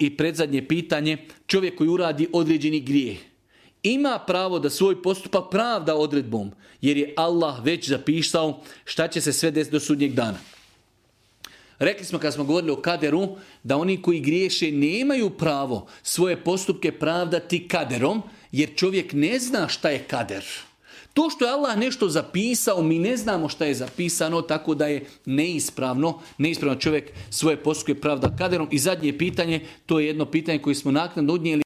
i predzadnje pitanje, čovjek koji uradi određeni grijeh ima pravo da svoj postupak pravda odredbom, jer je Allah već zapisao šta će se sve desiti do sudnjeg dana. Rekli smo kad smo govorili o kaderu, da oni koji griješe nemaju pravo svoje postupke pravdati kaderom, jer čovjek ne zna šta je kader. To što je Allah nešto zapisao, mi ne znamo šta je zapisano, tako da je neispravno čovjek svoje postupke pravda kaderom. I zadnje pitanje, to je jedno pitanje koje smo naknadno odnijeli.